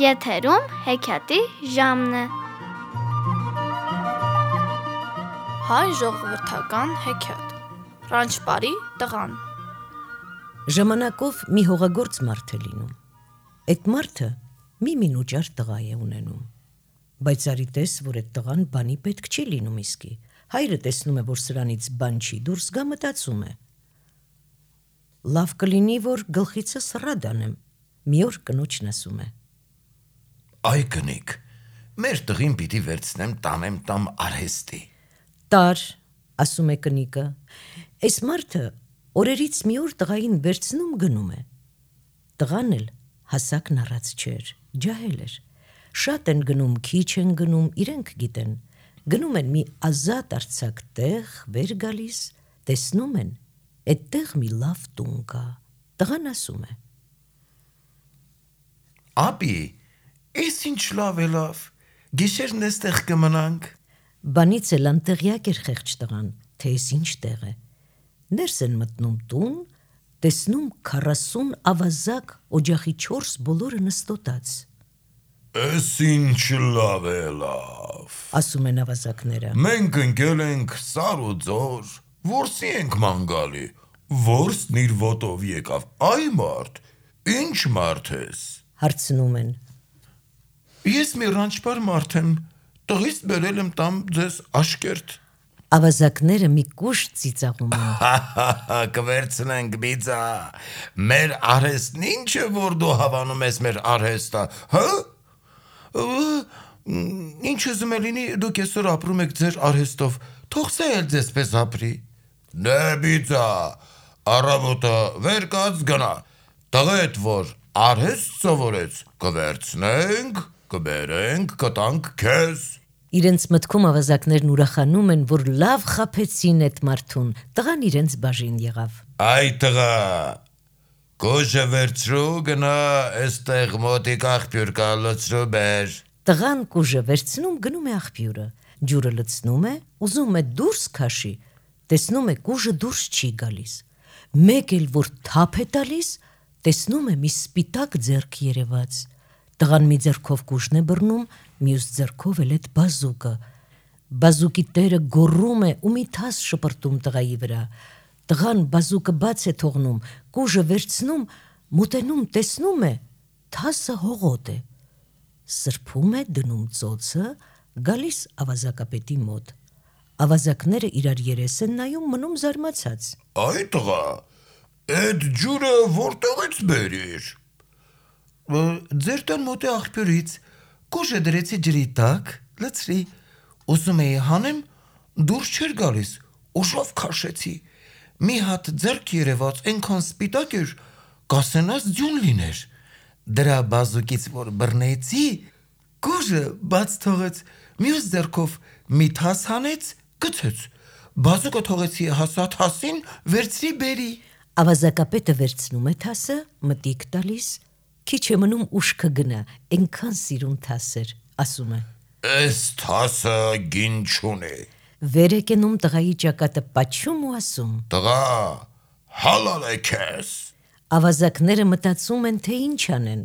Եթերում հեքիաթի ժամն է։ Հայ ժողովրդական հեքիաթ։ Ռանչպարի տղան։ Ժամանակով մի հողագործ մարդ է լինում։ Այդ մարդը մի մինուճար տղա է ունենում, բայց արի տես, որ այդ տղան բանի պետք չի լինում իսկի։ Հայրը տեսնում է, որ սրանից բան չի դուրս գա, մտածում է. լավ կլինի, որ գլխիցս ռադ անեմ։ Մի օր կնոջն ասում է. Այ կնիկ, մեր տղին պիտի վերցնեմ տանեմ տամ արհեստի։ Տար, ասում է կնիկը։ Այս մարդը օրերից մի օր տղային վերցնում գնում է։ Տղան էլ հասակն առած չէր, ջահել էր։ Շատ են գնում, քիչ են գնում, իրենք գիտեն։ Գնում են մի ազատ արձակ տեղ, վեր գալիս, տեսնում են, այդտեղ մի լավ տուն կա։ Տղան ասում է. Ապի, ես ինչ լավ է լավ, գիշերն էստեղ կմնանք։ Բանից էլ անտեղյակ էր խեղճ տղան, թե ես ինչ տեղ է։ Ներս են մտնում տուն, տեսնում 40 ավազակ օջախի 4 բոլորը նստոտած։ Էս ինչ լավ է լավ, ասում են ավազակները։ Մենք ընկել ենք սար ու ձոր, որսի ենք ման գալի, որսն իր ոտով եկավ, այ մարդ, ինչ մարդ ես, հարցնում են։ Ես մի ռանչպար մարդ եմ, տղից բերել եմ տամ ձեզ աշկերտ։ Ավազակները մի կուշ ծիծաղում են։ Կվերցնենք բիծա, մեր արհեստն ինչ է, որ դու հավանում ես մեր արհեստը, հա? Ինչ ուզում է լինի, դուք այսօր ապրում եք ձեր արհեստով, թող սա էլ ձեզպես ապրի։ Դե բիծա, առավոտը վեր կաց գնա, տղետ որ արհեստ սովորեց, կվերցնենք, կբերենք, կտանք քեզ։ Իրենց մտքում ավազակներն ուրախանում են, որ լավ խաբեցին այդ մարդուն, տղան իրենց բաժին եղավ։ Այ տղա, կուժը վերցրու գնա, էստեղ մոտիկ աղբյուր կա լցրու բեր։ Տղան կուժը վերցնում գնում է աղբյուրը, ջուրը լցնում է, ուզում է դուրս քաշի, տեսնում է կուժը դուրս չի գալիս։ Մեկ էլ որ թափ է տալիս, տեսնում է մի սպիտակ ձեռք երևաց։ Տղան մի ձեռքով կուժն է բռնում, մյուս ձեռքով էլ այդ բազուկը։ Բազուկի տերը գոռում է ու մի թաս շպրտում տղայի վրա։ Տղան բազուկը բաց է թողնում, կուժը վերցնում, մոտենում, տեսնում է, թասը հողոտ է։ Սրբում է, դնում ծոցը, գալիս ավազակապետի մոտ։ Ավազակները իրար երես են նայում, մնում զարմացած։ Այ տղա, այդ ջուրը որտեղից բերիր։ Ձեր տան մոտ է աղբյուրից, կուժը դրեցի ջրի տակ, լցրի, ուզում էի հանեմ, դուրս չէր գալիս, ուժով քաշեցի, մի հատ ձեռք երևաց, այնքան սպիտակ էր, կասենաս ձյուն լիներ, դրա բազուկից որ բռնեցի, կուժը բաց թողեց, մյուս ձեռքով մի թաս հանեց, գցեց, բազուկը թողեցի հասա թասին, վերցրի բերի։ Ավազակապետը վերցնում է թասը, մտիկ տալիս, քիչ է մնում ուշքը գնա, այնքան սիրուն թաս էր, ասում է. Էս թասը գին չունի։ Վեր է կենում տղայի ճակատը պաչում ու ասում. Տղա, հալալ է քեզ։ Ավազակները մտածում են, թե ինչ անեն։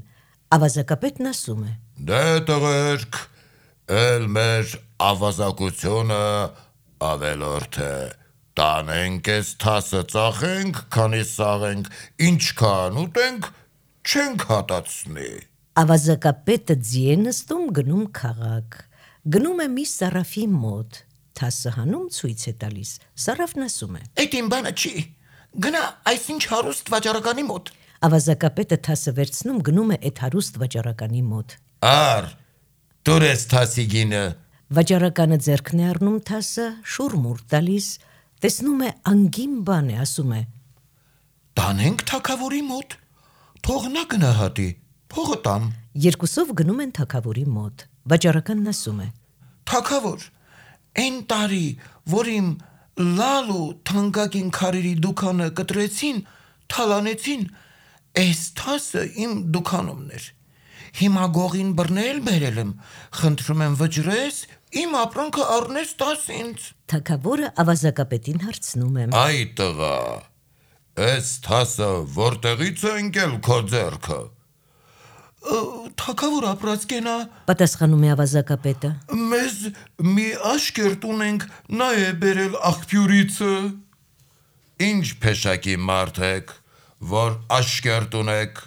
Ավազակապետն ասում է. Դե տղերք, էլ մեր ավազակությունը ավելորդ է, տանենք ես թասը ծախենք, քանի սաղենք, ինչքան ուտենք, չենք հատացնի։ Ավազակապետը ձի է նստում, գնում քաղաք, գնում է մի սարաֆի մոտ, թասը հանում ցույց է տալիս, սարաֆն ասում է. Այդ իմ բանը չի, գնա այսինչ հարուստ վաճառականի մոտ։ Ավազակապետը թասը վերցնում, գնում է այդ հարուստ վաճառականի մոտ։ Ար, դուր ես թասի գինը։ Վաճառականը ձեռքն է առնում թասը, շուրմուր տալիս, տեսնում է անգին բան է, ասում է. Տանենք թագավորի մոտ, թող նա գնահատի, փողը տամ։ Երկուսով գնում են թագավորի մոտ, վաճառականն ասում է. Թագավոր, այն տարի, որ իմ լալ ու թանկագին քարերի դուքանը կտրեցին, թալանեցին, այս թասը իմ դուքանումն էր։ Հիմա գողին բռնել բերել եմ, խնդրում եմ վճռես, իմ ապրանքը առնես տաս ինձ։ Թագավորը ավազակապետին հարցնում է. Այ տղա, այս թասը որտեղից է ընկել քո ձեռքը։ Թագավոր ապրած կենա, Պատասխանում է ավազակապետը։ մեզ մի աշկերտ ունենք, նա է բերել աղբյուրիցը։ Ինչ փեշակի մարդ եք, որ աշկերտ ունեք,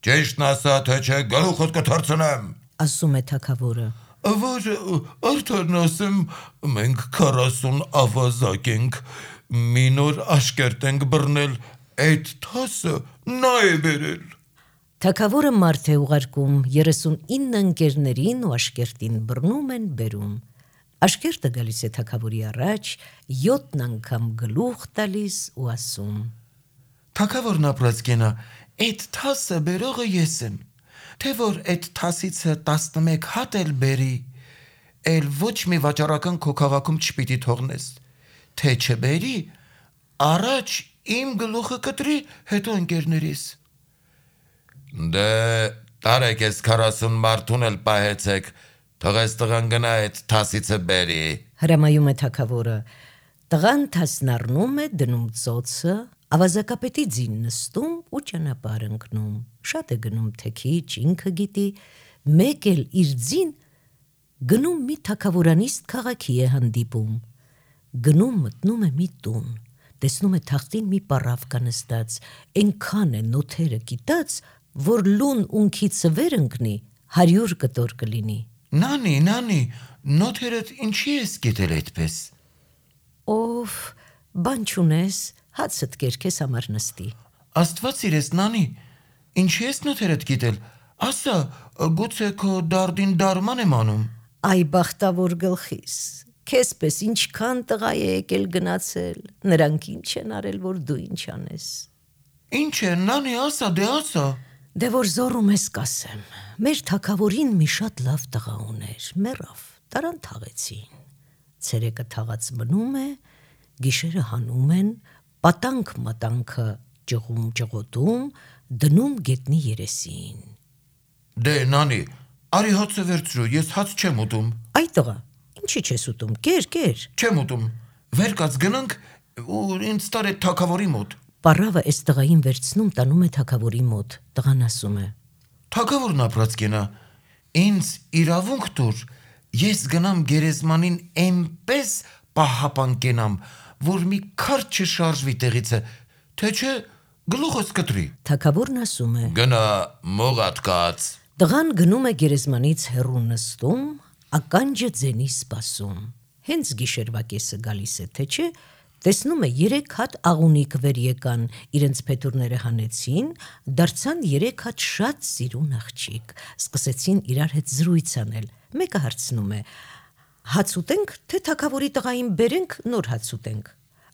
ճիշտն ասա, թե չէ գլուխդ կթռցնեմ։ Ասում է թագավորը։ Որ արդեն ասեմ, մենք 40 ավազակ ենք, մի նոր աշկերտ ենք բռնել, այդ թասը նա է բերել։ Թագավորը մարդ է ուղարկում 39 ընկերներին ու աշկերտին բռնում են բերում։ Աշկերտը գալիս է թագավորի առաջ, 7 անգամ գլուխ տալիս ու ասում. Թագավորն ապրած կենա, այդ թասը բերողը ես եմ, թե որ այդ թասիցը 11 հատ էլ բերի, էլ ոչ մի վաճառական քո քաղաքում չպիտի թողնես, թե չբերի, առաջ իմ գլուխը կտրի, հետո ընկերներիս։ Դե տարեք ես 40 մարդուն էլ պահեցեք, թողես տղան գնա այդ թասիցը բերի։ Հրամայում է թագավորը։ Տղան թասն առնում է, դնում ծոցը, ավազակապետի ձին նստում ու ճանապարհ ընկնում։ Շատ է գնում թե քիչ, ինքը գիտի, մեկ էլ իր ձին գնում մի թագավորանիստ քաղաքի է հանդիպում։ Գնում մտնում է մի տուն, տեսնում է թախտին մի պառավ կա նստած, այնքան է նոթերը կիտած, որ լուն ունքիցը վեր ընկնի, 100 կտոր կլինի։ Նանի, նոթերդ ինչի ես գիտել այդպես։ Ով, բան չունես, հացդ կեր քեզ համար նստի։ Աստված իրես, նանի, ինչի ես նոթերդ գիտել, ասա, գուցե քո դարդին դարման եմ անում։ Այ բախտավոր գլխիս, քեզպես ինչքան տղա է եկել գնացել, նրանք ինչ են արել, որ դու ինչ անես։ Ինչ է, նանի, ասա, դե ասա։ Դե որ զորում ես կասեմ, մեր թագավորին մի շատ լավ տղա ուներ, մեռավ, տարան թաղեցին։ Ցերեկը թաղած մնում է, գիշերը հանում են, պատանք մատանքը ճղում ճղոտում, դնում գետնի երեսին։ Դե նանի, արի հացը վերցրու, ես հաց չեմ ուտում։ Այ տղա, ինչի չես ուտում, կեր։ Չեմ ուտում, վեր կաց գնանք ու ինձ տար այդ թագավորի մոտ։ Պառավը այս տղային վերցնում տանում է թագավորի մոտ, տղան ասում է. Թագավորն ապրած կենա, ինձ իրավունք տուր, ես գնամ գերեզմանին էնպես պահապան կենամ, որ մի քարտ չշարժվի տեղիցը, թե չէ գլուխս կտրի։ Թագավորն ասում է. Գնա մողատ կաց։ Տղան գնում է գերեզմանից հեռու նստում, ականջը ձենի սպասում։ Հենց գիշերվա կեսը գալիս է, թե չէ, տեսնում է 3 հատ աղունիկ վեր եկան, իրենց փետուրները հանեցին, դարձան 3 հատ շատ սիրուն աղջիկ, սկսեցին իրար հետ զրույց անել։ Մեկը հարցնում է. հաց ուտենք, թե թագավորի տղային բերենք, նոր հաց ուտենք։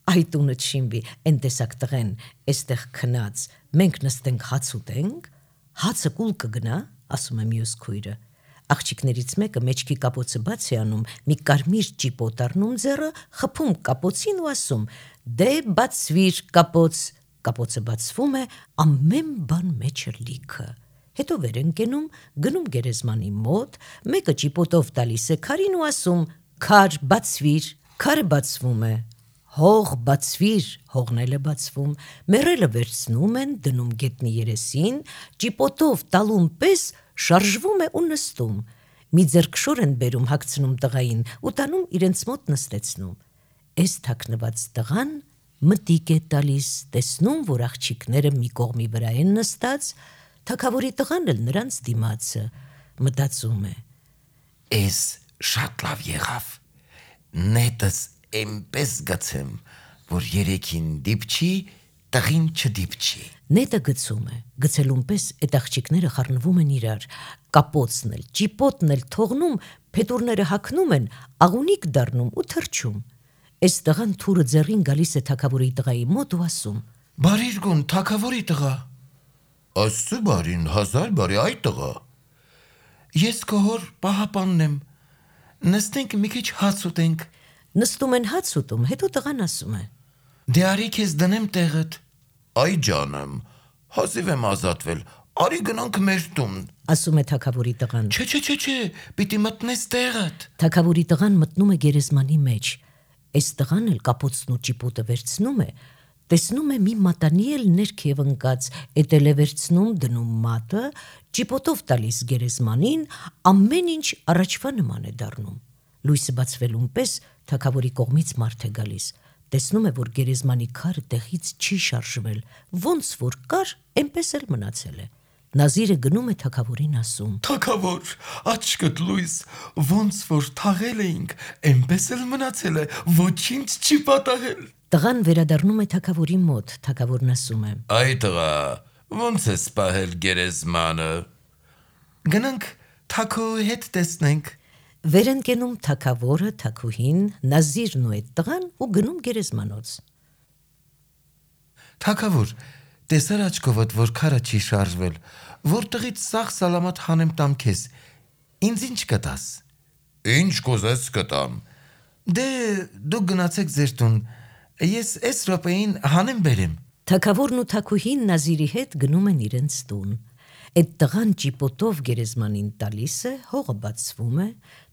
Այ տունը չինվի, են տեսակ տղեն, էստեղ քնած, մենք նստենք հաց ուտենք, հացը կուլ կգնա, ասում է մյուս քույրը։ Աղջիկներից մեկը մեջքի կապոցը բաց է անում, մի կարմիր ճիպոտ առնում ձեռը, խփում կապոցին ու ասում. դե բացվիր կապոց։ Կապոցը բացվում է, ամեն բան մեջը լիքը։ Հետո վեր են կենում, գնում գերեզմանի մոտ, մեկը ճիպոտով տալիս է քարին ու ասում. քար բացվիր, քարը բացվում է։ Հող բացվիր, հողն էլ է բացվում, մեռելը վերցնում են, դնում գետնի երեսին, ճիպոտով տալուն պես շարժվում է ու նստում։ Մի ձեռքշոր են բերում, հագցնում տղային ու տանում իրենց մոտ նստեցնում։ Այս թաքնված տղան մտիկ է տալիս, տեսնում, որ աղջիկները մի կողմի վրա են նստած, թագավորի տղան էլ նրանց դիմացը, մտածում է. Էս շատ լավ եղավ, նետս էնպես գցեմ, որ երեքին դիպչի, տղին չդիպչի։ Նետը գցում է, գցելուն պես այդ աղջիկները խառնվում են իրար, կապոցն էլ, ճիպոտն էլ թողնում, փետուրները հագնում են, աղունիկ դառնում ու թրջում։ Այս տղան թուրը ձեռին գալիս է թագավորի տղայի մոտ ու ասում. Բարիր գուն, թագավորի տղա։ Աստծո բարին, 1000 բարի, այ տղա։ Ես քո հոր պահապանն եմ, նստենք մի քիչ հաց ուտենք։ Նստում են հաց ուտում, հետո տղան ասում է. Դե արի քեզ դնեմ տեղդ։ Այ ջանեմ, հազիվ եմ ազատվել, արի գնանք մեր տուն։ Ասում է թագավորի տղան։ Չէ, պիտի մտնես տեղդ։ Թագավորի տղան մտնում է գերեզմանի մեջ։ Այս տղան էլ կապոցն ու ճիպոտը վերցնում է, տեսնում է մի մատանի էլ ներքև ընկած, էտել է վերցնում դնում մատը, ճիպոտով տալիս գերեզմանին, ամեն ինչ առաջվա նման է դառնում։ Լույսը բացվելուն պես թագավորի կողմից մարդ է գալիս։ Տեսնում է, որ գերեզմանի քարը տեղից չի շարժվել, ոնց որ կար, այնպես էլ մնացել է։ Նազիրը գնում է թագավորին ասում. Թագավոր, աչքդ լույս, ոնց որ թաղել էինք, այնպես էլ մնացել է, ոչինչ չի պատահել։ Տղան վերադառնում է թագավորի մոտ, թագավորն ասում է. Այ տղա, ոնց է սպահել գերեզմանը։ Գնանք թագու հետ տեսնենք։ Վեր են կենում թագավորը, թագուհին, Նազիրն ու այդ տղան ու գնում գերեզմանոց։ Թագավոր, տեսար աչքովդ, որ քարը չի շարժվել, որտեղից սաղ սալամատ հանեմ տամ քեզ։ Ինձ ինչ կտաս։ Ինչ կուզես կտամ։ Դե դուք գնացեք ձեր տուն, ես այս րոպեին հանեմ բերեմ։ Թագավորն ու թագուհին Նազիրի հետ գնում են իրենց տուն։ Այդ տղան ճիպոտով գերեզմանին տալիս է, հողը բացվում է,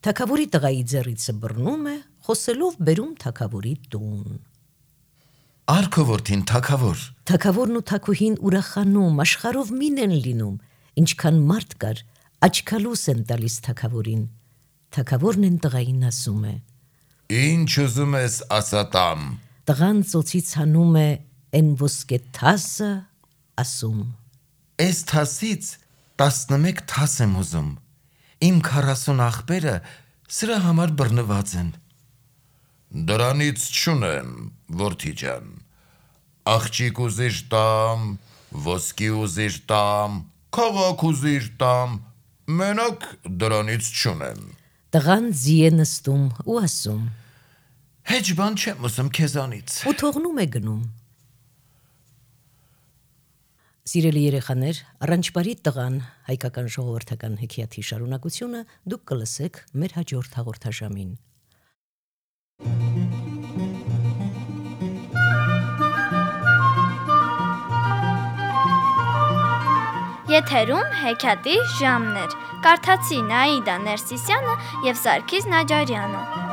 թագավորի տղայի ձեռիցը բռնում է, խոսելով բերում թագավորի տուն։ Արքովորդին թագավոր։ Թագավորն ու թագուհին ուրախանում, աշխարհով մին են լինում, ինչքան մարդ կար, աչքալուս են տալիս թագավորին։ Թագավորն են տղային ասում է. Ինչ ուզում ես ասատամ։ Տղան ծոցից հանում է են ոսկե թասը, ասում. Այս թասից 11 թաս եմ ուզում։ Իմ 40 աղբերը սրա համար բռնված են։ Դրանից չունեմ, որդի ջան։ Աղջիկ ուզիր տամ, ոսկի ուզիր տամ, քաղաք ուզիր տամ, մենակ դրանից չունեմ։ Տղան ձի է նստում ու ասում. Հեչ բան չեմ ուզում քեզանից։ Ու թողնում է գնում։ Սիրելի երեխաներ, Առանջպարի տղան հայկական ժողովրդական հեքիաթի շարունակությունը դուք կլսեք մեր հաջորդ հաղորդաշամին։ Եթերում հեքիաթի ժամն էր։ Կարդացի Նաիդա Ներսիսյանը եւ Սարգիս Նաջարյանը։